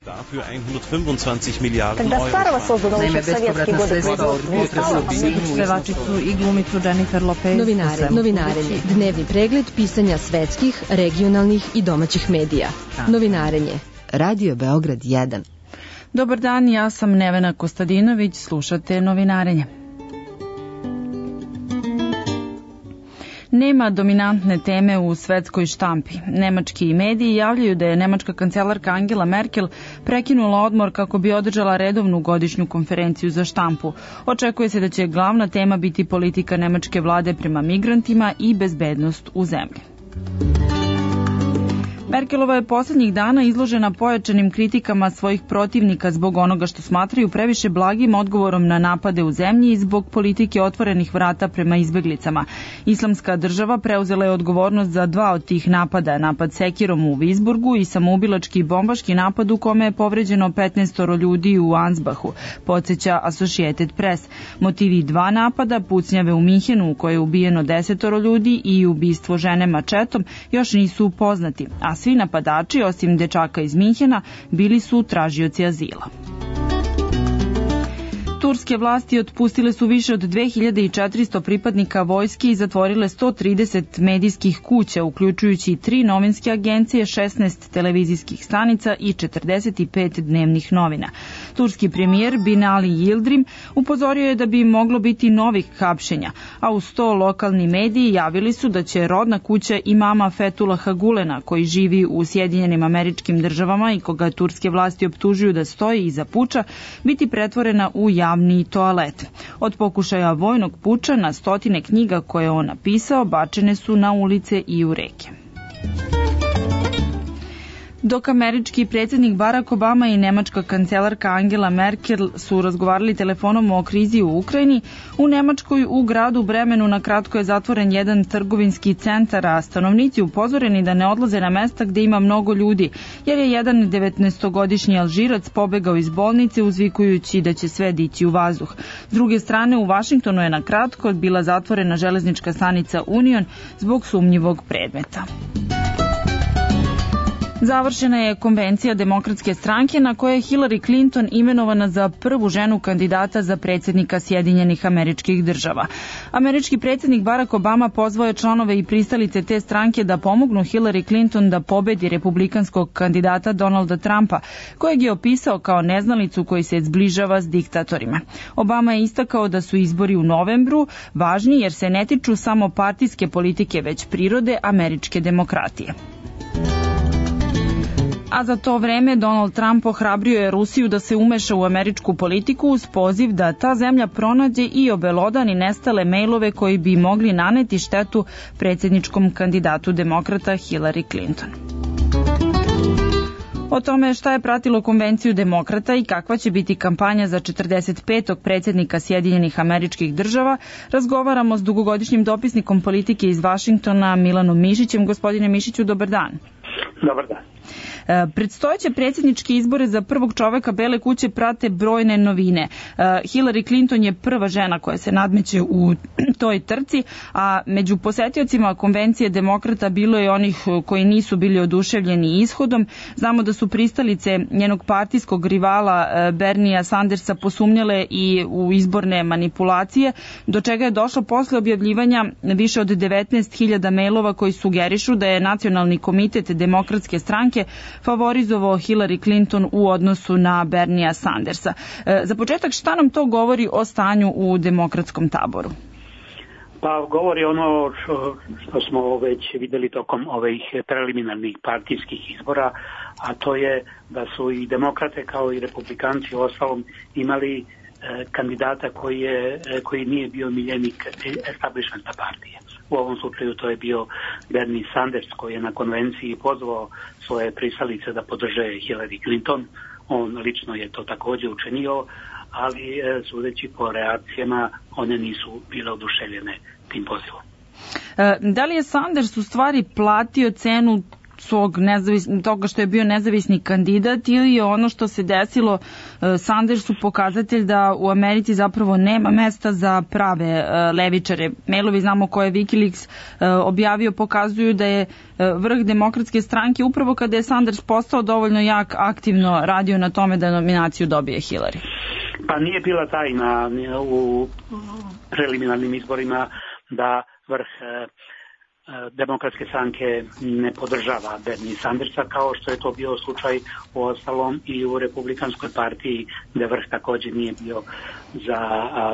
Dafür 125 Milijarden Тогда старого создано еще в советские годы Pevačicu i glumicu Jennifer Lopez. Novinarenje. Dnevni pregled pisanja svetskih, regionalnih i domaćih medija. Novinarenje. Radio Beograd 1. Dobar dan, ja sam Nevena Kostadinović, slušate Novinarenje. Nema dominantne teme u svetskoj štampi. Nemački mediji javljaju da je nemačka kancelarka Angela Merkel prekinula odmor kako bi održala redovnu godišnju konferenciju za štampu. Očekuje se da će glavna tema biti politika nemačke vlade prema migrantima i bezbednost u zemlji. Merkelova je poslednjih dana izložena pojačanim kritikama svojih protivnika zbog onoga što smatraju previše blagim odgovorom na napade u zemlji i zbog politike otvorenih vrata prema izbeglicama. Islamska država preuzela je odgovornost za 2 od tih napada, napad sekirom u Visburgu i samoubilački bombaški napad u kome je povređeno 15 ljudi u Ansbachu, podsjeća Associated Press. Motivi 2 napada, pucnjave u Minhenu u kojoj je ubijeno 10 ljudi i ubistvo žene mačetom, još nisu poznati, a svi napadači, osim dečaka iz Minhena, bili su tražioci azila. Turske vlasti otpustile su više od 2400 pripadnika vojske i zatvorile 130 medijskih kuća, uključujući 3 novinske agencije, 16 televizijskih stanica i 45 dnevnih novina. Turski premijer Binali Yildirim upozorio je da bi moglo biti novih hapšenja, a uz to lokalni mediji javili su da će rodna kuća imama Fethullaha Gulena, koji živi u Sjedinjenim Američkim Državama i koga turske vlasti optužuju da stoji iza puča, biti pretvorena u javni toalet. Od pokušaja vojnog puča na stotine knjiga koje je on napisao bačene su na ulice i u reke. Dok američki predsjednik Barack Obama i nemačka kancelarka Angela Merkel su razgovarali telefonom o krizi u Ukrajini, u Nemačkoj u gradu Bremenu na kratko je zatvoren jedan trgovinski centar, a stanovnici upozoreni da ne odlaze na mesta gde ima mnogo ljudi, jer je jedan 19-godišnji Alžirac pobegao iz bolnice uzvikujući da će sve dići u vazduh. S druge strane, u Vašingtonu je na kratko bila zatvorena železnička stanica Union zbog sumnjivog predmeta. Završena je konvencija Demokratske stranke na kojoj je Hillary Clinton imenovana za prvu ženu kandidata za predsjednika Sjedinjenih Američkih Država. Američki predsjednik Barack Obama pozvao je članove i pristalice te stranke da pomognu Hillary Clinton da pobedi republikanskog kandidata Donalda Trumpa, kojeg je opisao kao neznalicu koji se zbližava s diktatorima. Obama je istakao da su izbori u novembru važni jer se ne tiču samo partijske politike, već prirode američke demokratije. A za to vreme Donald Trump ohrabrio je Rusiju da se umeša u američku politiku uz poziv da ta zemlja pronađe i obelodani nestale mejlove koji bi mogli naneti štetu predsjedničkom kandidatu demokrata Hillary Clinton. O tome šta je pratilo konvenciju demokrata i kakva će biti kampanja za 45. predsjednika Sjedinjenih Američkih Država, razgovaramo s dugogodišnjim dopisnikom politike iz Vašingtona Milanom Mišićem. Gospodine Mišiću, dobar dan. Dobar dan. Predstojeće predsjedničke izbore za prvog čoveka Bele kuće prate brojne novine. Hillary Clinton je prva žena koja se nadmeće u toj trci, a među posetiocima konvencije demokrata bilo je onih koji nisu bili oduševljeni ishodom. Znamo da su pristalice njenog partijskog rivala Bernia Sandersa posumnjale i u izborne manipulacije, do čega je došlo posle objavljivanja više od 19.000 mailova koji sugerišu da je Nacionalni komitet Demokratske stranke favorizovao Hillary Clinton u odnosu na Bernia Sandersa. Za početak, šta nam to govori o stanju u demokratskom taboru? Pa govori ono što smo već videli tokom ovih preliminarnih partijskih izbora, a to je da su i demokrate kao i republikanci u ostalom imali kandidata koji nije bio miljenik establishmenta partije. U ovom slučaju to je bio Bernie Sanders koji je na konvenciji pozvao svoje pristalice da podrže Hillary Clinton. On lično je to također učinio, ali sudeći po reakcijama one nisu bile oduševljene tim pozivom. Da li je Sanders u stvari platio cenu toga što je bio nezavisni kandidat, ili je ono što se desilo Sandersu pokazatelj da u Americi zapravo nema mesta za prave levičare? Mailovi, znamo koje je Wikileaks objavio, pokazuju da je vrh Demokratske stranke upravo kada je Sanders postao dovoljno jak, aktivno radio na tome da nominaciju dobije Hillary. Pa nije bila tajna u preliminarnim izborima da vrh Demokratske stranke ne podržava Bernie Sandersa, kao što je to bio slučaj u ostalom i u Republikanskoj partiji, gde vrh također nije bio za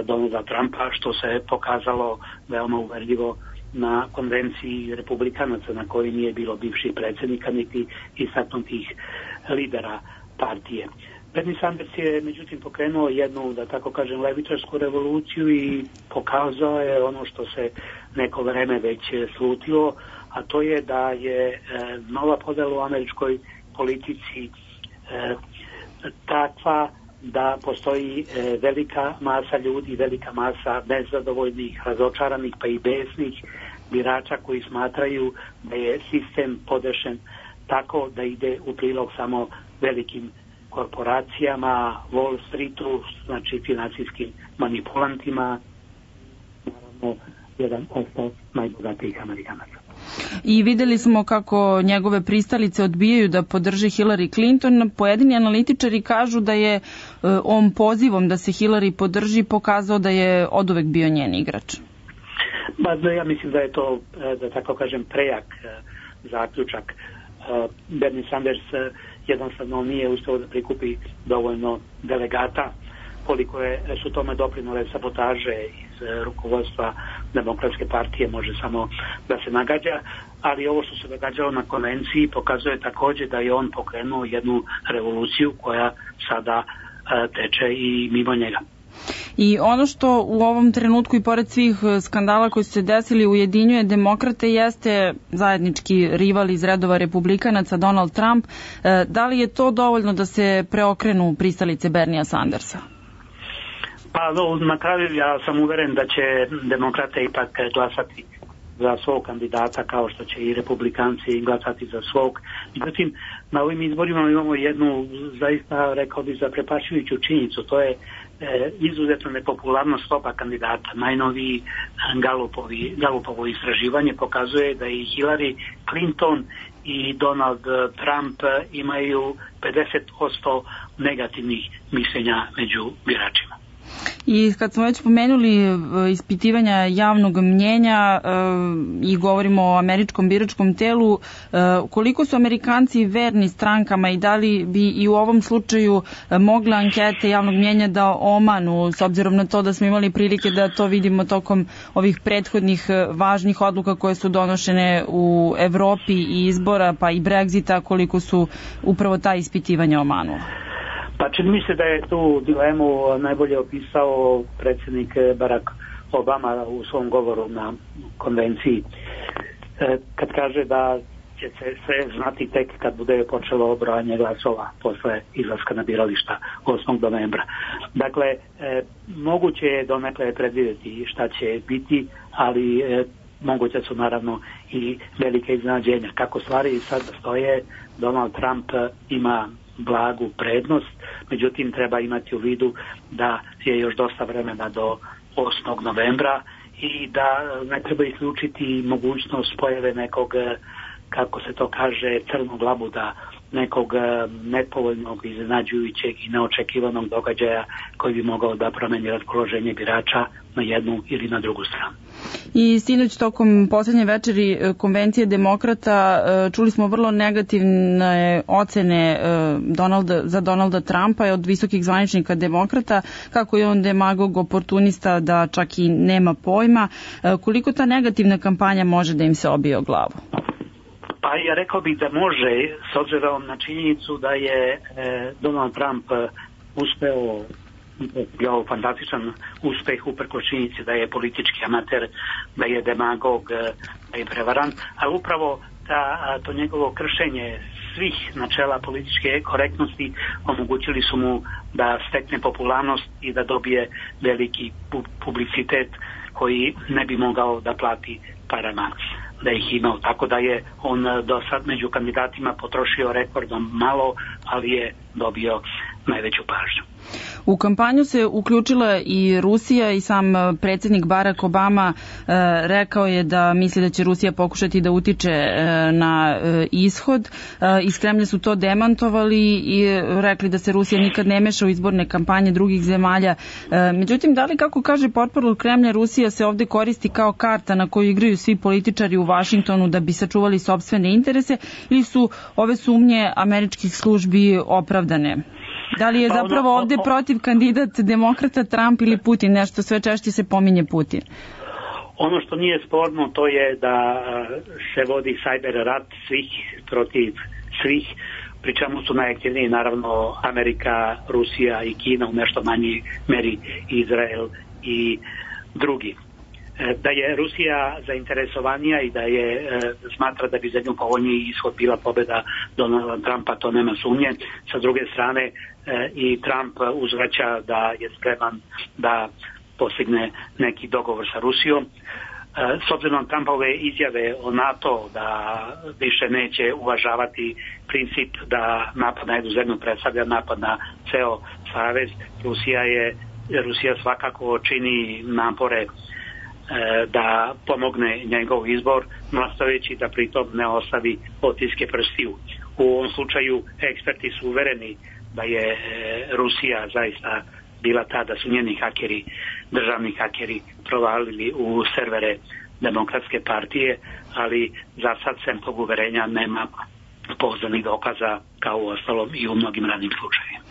Donalda Trumpa, što se pokazalo veoma uverljivo na konvenciji republikanaca na kojoj nije bilo bivših predsjednika niti istaknutih lidera partije. Bernie Sanders je međutim pokrenuo jednu, da tako kažem, levičarsku revoluciju i pokazao je ono što se neko vreme već slutilo, a to je da je nova podela u američkoj politici takva da postoji velika masa ljudi, velika masa nezadovoljnih, razočaranih pa i besnih birača koji smatraju da je sistem podešen tako da ide u prilog samo velikim korporacijama, Wall Streetu, znači finansijskim manipulantima, naravno jedan od najbogatijih Amerikanaca. I videli smo kako njegove pristalice odbijaju da podrže Hillary Clinton. Pojedini analitičari kažu da je on pozivom da se Hillary podrži pokazao da je oduvek bio njen igrač. Ja mislim da je to, da tako kažem, prejak zaključak. Bernie Sanders jednostavno nije uspeo da prikupi dovoljno delegata, koliko su tome doprinole sabotaže iz rukovodstva Demokratske partije može samo da se nagađa, ali ovo što se događalo na konvenciji pokazuje također da je on pokrenuo jednu revoluciju koja sada teče i mimo njega. I ono što u ovom trenutku i pored svih skandala koji su se desili ujedinjuje demokrate jeste zajednički rival iz redova republikanaca Donald Trump. Da li je to dovoljno da se preokrenu pristalice Berniea Sandersa? Pa na kraju ja sam uveren da će demokrate ipak glasati za svog kandidata kao što će i republikanci glasati za svog. Međutim, na ovim izborima imamo jednu zaista, rekao bih, zaprepašćujuću činjenicu. To je izuzetno nepopularnost oba kandidata. Najnoviji Gallupovo istraživanje pokazuje da i Hillary Clinton i Donald Trump imaju 50% negativnih mišljenja među biračima. I kad smo već pomenuli ispitivanja javnog mnjenja i govorimo o američkom biračkom telu, koliko su Amerikanci verni strankama i da li bi i u ovom slučaju mogle ankete javnog mnjenja da omanu, s obzirom na to da smo imali prilike da to vidimo tokom ovih prethodnih važnih odluka koje su donošene u Evropi i izbora pa i Brexita, koliko su upravo ta ispitivanja omanula? Pa čini mi se da je tu dilemu najbolje opisao predsjednik Barack Obama u svom govoru na konvenciji, kad kaže da će se sve znati tek kad bude počelo brojanje glasova posle izlaska na birališta 8. novembra. Dakle, moguće je donekle predvidjeti šta će biti, ali moguće su naravno i velike iznenađenja. Kako stvari sad stoje, Donald Trump ima blagu prednost, međutim treba imati u vidu da je još dosta vremena do 8. novembra i da ne treba isključiti mogućnost pojave nekog, kako se to kaže, crnog labuda, nekog nepovoljnog, iznenađujućeg i neočekivanog događaja koji bi mogao da promeni raspoloženje birača na jednu ili na drugu stranu. I sinoć tokom posljednje večeri konvencije demokrata čuli smo vrlo negativne ocene za Donalda Trumpa od visokih zvaničnika demokrata, kako je on demagog, oportunista, da čak i nema pojma. Koliko ta negativna kampanja može da im se obije o glavu? Pa ja rekao bih da može, s obzirom na činjenicu da je Donald Trump uspeo, bio fantastičan uspeh uprkos činjenici da je politički amater, da je demagog, da je prevarant, ali upravo to njegovo kršenje svih načela političke korektnosti omogućili su mu da stekne popularnost i da dobije veliki publicitet koji ne bi mogao da plati parama. da ih imao, tako da je on do sad među kandidatima potrošio rekordno malo, ali je dobio najveću pažnju. U kampanju se uključila i Rusija i sam predsjednik Barack Obama rekao je da misli da će Rusija pokušati da utiče na ishod. Iz Kremlja su to demantovali i rekli da se Rusija nikad ne meša u izborne kampanje drugih zemalja. Međutim, da li, kako kaže portparol Kremlja, Rusija se ovde koristi kao karta na koju igraju svi političari u Vašingtonu da bi sačuvali sopstvene interese, ili su ove sumnje američkih službi opravdane? Da li je zapravo ovde protiv kandidat demokrata Trump ili Putin? Nešto sve češće se pominje Putin. Ono što nije sporno to je da se vodi cyber rat svih protiv svih, pri čemu su najaktivniji naravno Amerika, Rusija i Kina, u nešto manjoj meri Izrael i drugi. Da je Rusija zainteresovanija i da je smatra da bi za nju povoljniji ishod bila pobjeda Donalda Trumpa, to nema sumnje. Sa druge strane i Trump uzvraća da je spreman da postigne neki dogovor sa Rusijom. S obzirom na Trumpove izjave o NATO da više neće uvažavati princip da napad na jednu zemlju predstavlja napad na ceo savez, Rusija svakako čini napore da pomogne njegov izbor, nastojeći da pritom ne ostavi otiske prstiju. U ovom slučaju eksperti su uvereni da je Rusija zaista bila ta, da su njeni hakeri, državni hakeri, provalili u servere Demokratske partije, ali za sad sem tog uverenja nema pouzdanih dokaza, kao u ostalom i u mnogim radnim slučajevima.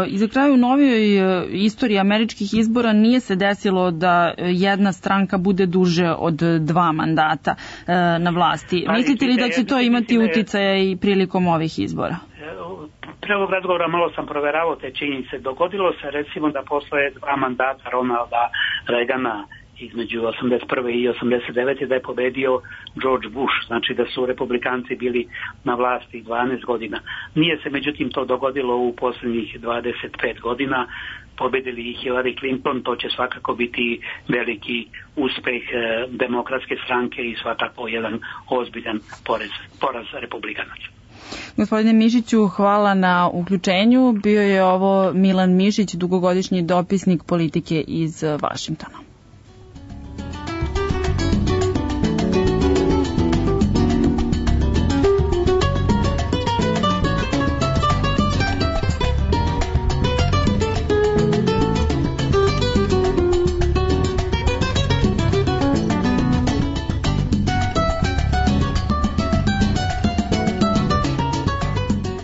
I za kraju, u novijoj istoriji američkih izbora nije se desilo da jedna stranka bude duže od 2 mandata na vlasti. Mislite li da će to imati uticaja i prilikom ovih izbora? Pre ovog razgovora malo sam proveravao te činjenice. Dogodilo se recimo da posle 2 mandata Ronalda Reagana između 81. i 89. da je pobedio George Bush, znači da su republikanci bili na vlasti 12 godina. Nije se međutim to dogodilo u posljednjih 25 godina, pobedili i Hillary Clinton, to će svakako biti veliki uspeh Demokratske stranke i svakako jedan ozbiljan poraz republikanaca. Gospodine Mišiću, hvala na uključenju. Bio je ovo Milan Mišić, dugogodišnji dopisnik politike iz Vašingtona.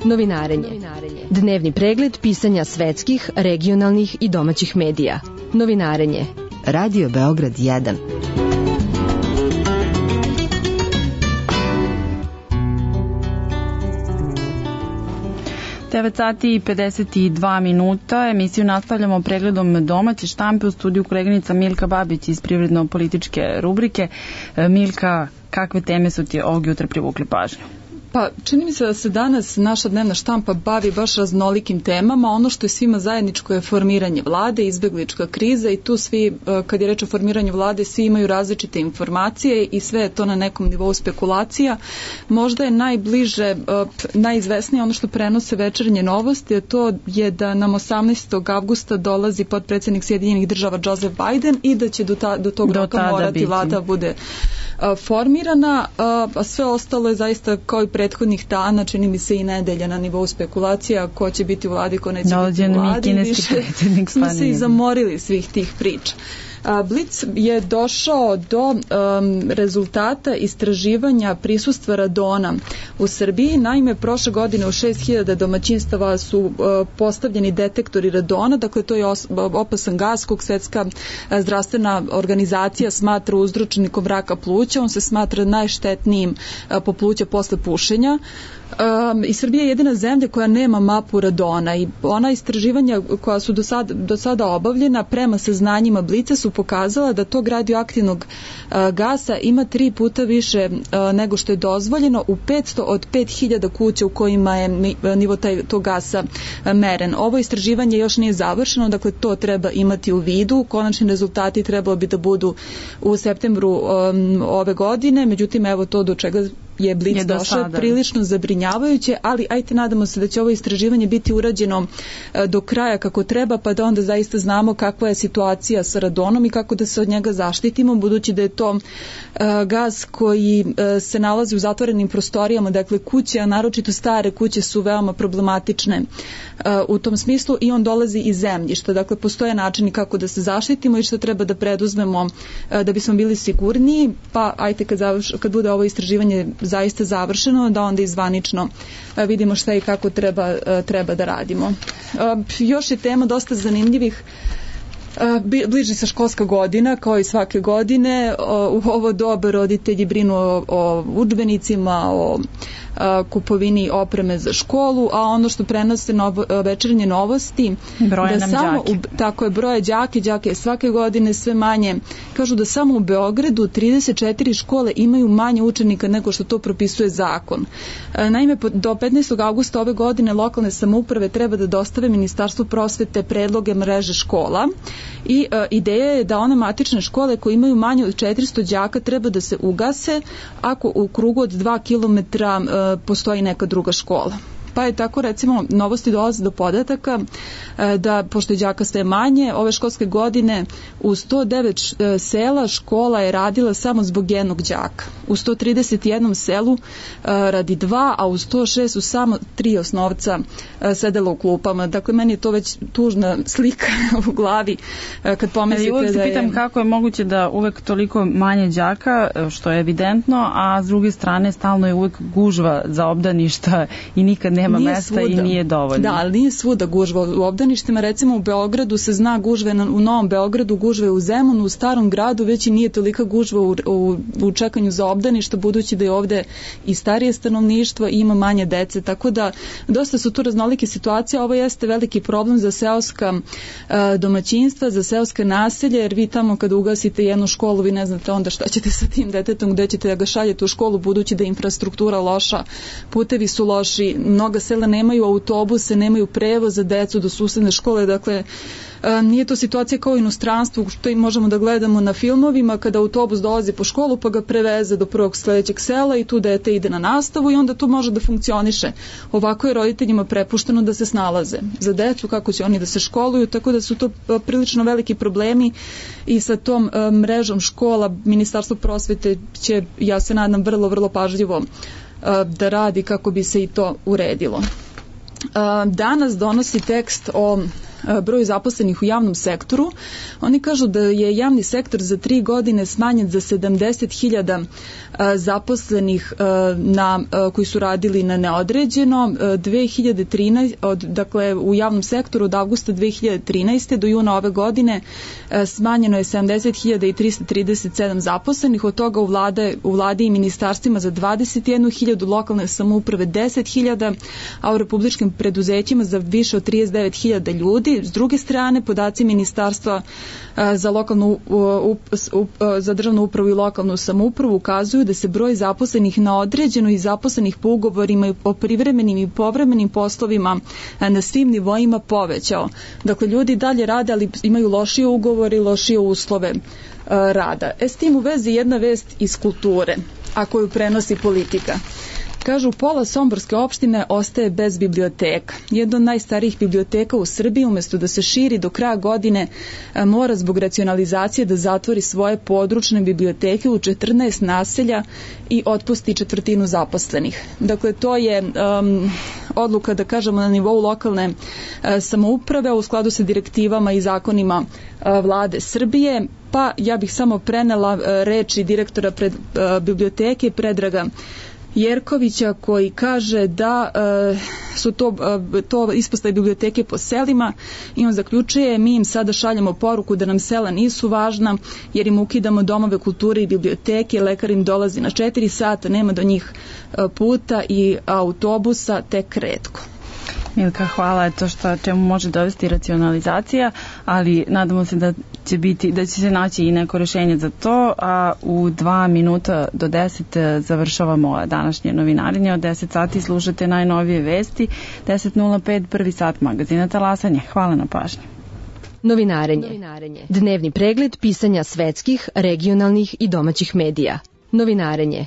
Novinarenje. Dnevni pregled pisanja svetskih, regionalnih i domaćih medija. Novinarenje. Radio Beograd 1. Sati i 52 minuta. Emisiju nastavljamo pregledom domaće štampe. U studiju koleginica Milka Babić iz privredno-političke rubrike. Milka, kakve teme su ti ovog jutra privukli pažnju? Pa čini mi se da se danas naša dnevna štampa bavi baš raznolikim temama. Ono što je svima zajedničko je formiranje vlade, izbeglička kriza i tu svi, kad je reč o formiranju vlade, svi imaju različite informacije i sve je to na nekom nivou spekulacija. Možda je najbliže, najizvesnije ono što prenose Večernje novosti, a to je da nam 18. avgusta dolazi potpredsjednik Sjedinjenih Država Joseph Biden i da će do tog roka morati vlada bude formirana, a sve ostalo je zaista kao i prethodnih dana, čini mi se i nedelja na nivou spekulacija, ko će biti u vladi, ko neće biti u vladi. Više smo se i zamorili svih tih priča. Blic je došao do rezultata istraživanja prisustva radona u Srbiji. Naime, prošle godine u 6000 domaćinstava su postavljeni detektori radona, dakle to je opasan gas kog Svetska zdravstvena organizacija smatra uzročnikom raka pluća. On se smatra najštetnijim po pluća posle pušenja. I Srbija je jedina zemlja koja nema mapu radona i ona istraživanja koja su do sada obavljena prema saznanjima Blica su pokazala da tog radioaktivnog gasa ima 3 puta više nego što je dozvoljeno u 500 od 5000 kuća u kojima je nivo tog gasa meren. Ovo istraživanje još nije završeno, dakle to treba imati u vidu. Konačni rezultati trebalo bi da budu u septembru ove godine, međutim evo to do čega je Blic došao prilično zabrinjavajuće, ali ajte nadamo se da će ovo istraživanje biti urađeno do kraja kako treba, pa da onda zaista znamo kakva je situacija sa radonom i kako da se od njega zaštitimo, budući da je to gas koji se nalazi u zatvorenim prostorijama, dakle kuće, a naročito stare kuće su veoma problematične u tom smislu i on dolazi iz zemljišta, dakle postoje načini kako da se zaštitimo i što treba da preduzmemo da bismo bili sigurniji, pa ajte kad bude ovo istraživanje zaista završeno, da onda izvanično vidimo šta i kako treba da radimo. Još je tema dosta zanimljivih. Bliži se školska godina, kao i svake godine. U ovo doba roditelji brinu o udžbenicima, o kupovini opreme za školu, a ono što prenose večernje novosti da samo tako je broje đake je svake godine sve manje. Kažu da samo u Beogradu 34 škole imaju manje učenika nego što to propisuje zakon. Naime, do 15. augusta ove godine lokalne samouprave treba da dostave Ministarstvu prosvete predloge mreže škola i ideja je da one matične škole koje imaju manje od 400 đaka treba da se ugase ako u krugu od 2 kilometra postoji neka druga škola. Pa je tako, recimo, novosti dolaze do podataka da, pošto je đaka sve manje, ove školske godine u 109 sela škola je radila samo zbog jednog đaka. U 131 selu radi 2, a u 106 su samo 3 osnovca sedela u klupama. Dakle, meni je to već tužna slika u glavi kad pomislite uvek se pitam kako je moguće da uvek toliko manje đaka, što je evidentno, a s druge strane stalno je uvek gužva za obdaništa i nikad nema mesta i nije dovoljno. Da, ali nije svuda gužva u obdaništima. Recimo u Beogradu se zna gužve, u Novom Beogradu gužve u Zemunu, u Starom gradu već i nije tolika gužva u čekanju za obdaništa, budući da je ovde i starije stanovništvo i ima manje dece. Tako da dosta su tu raznolike situacije. Ovo jeste veliki problem za seoska domaćinstva, za seoske naselje, jer vi tamo kada ugasite jednu školu, vi ne znate onda šta ćete sa tim detetom, gde ćete da ga šaljete u školu, budući da je infrastruktura loša, putevi su loši, mnoga sela nemaju autobuse, nemaju prevoz za decu do susedne škole, dakle nije to situacija kao u inostranstvu što i možemo da gledamo na filmovima kada autobus dolazi po školu pa ga preveze do prvog sledećeg sela i tu dete ide na nastavu i onda to može da funkcioniše. Ovako je roditeljima prepušteno da se snalaze za decu, kako će oni da se školuju, tako da su to prilično veliki problemi i sa tom mrežom škola Ministarstvo prosvete će, ja se nadam, vrlo pažljivo da radi kako bi se i to uredilo. Danas donosi tekst o broju zaposlenih u javnom sektoru. Oni kažu da je javni sektor za 3 godine smanjen za 70.000 zaposlenih koji su radili na neodređeno. 2013, dakle u javnom sektoru od avgusta 2013. do juna ove godine smanjeno je 70.337 zaposlenih, od toga u vladi i ministarstvima za 21.000, lokalne samouprave 10.000, a u republičkim preduzećima za više od 39.000 ljudi. S druge strane, podaci Ministarstva za državnu upravu i lokalnu samoupravu ukazuju da se broj zaposlenih na određeno i zaposlenih po ugovorima o privremenim i povremenim poslovima na svim nivoima povećao. Dakle, ljudi dalje rade, ali imaju lošije ugovore i lošije uslove rada. S tim u vezi jedna vest iz kulture, a koju prenosi Politika. Kažu, pola somborske opštine ostaje bez biblioteka. Jedna od najstarijih biblioteka u Srbiji, umesto da se širi do kraja godine, mora zbog racionalizacije da zatvori svoje područne biblioteke u 14 naselja i otpusti 1/4 zaposlenih. Dakle, to je odluka, da kažemo, na nivou lokalne samouprave u skladu sa direktivama i zakonima vlade Srbije. Pa ja bih samo prenela reči direktora biblioteke Predraga Jerkovića koji kaže da su to ispostave biblioteke po selima i on zaključuje: mi im sada šaljemo poruku da nam sela nisu važna jer im ukidamo domove kulture i biblioteke, lekar im dolazi na 4 sata, nema do njih puta i autobusa tek retko. Milka, hvala, je to čemu može dovesti racionalizacija, ali nadamo se da će se naći i neko rešenje za to, a u 2 minuta do 10 završavamo današnje novinarenje. Od 10 sati slušate najnovije vesti, 10:05 prvi sat magazina Talasanje. Hvala na pažnji. Novinarenje. Dnevni pregled pisanja svetskih, regionalnih i domaćih medija. Novinarenje.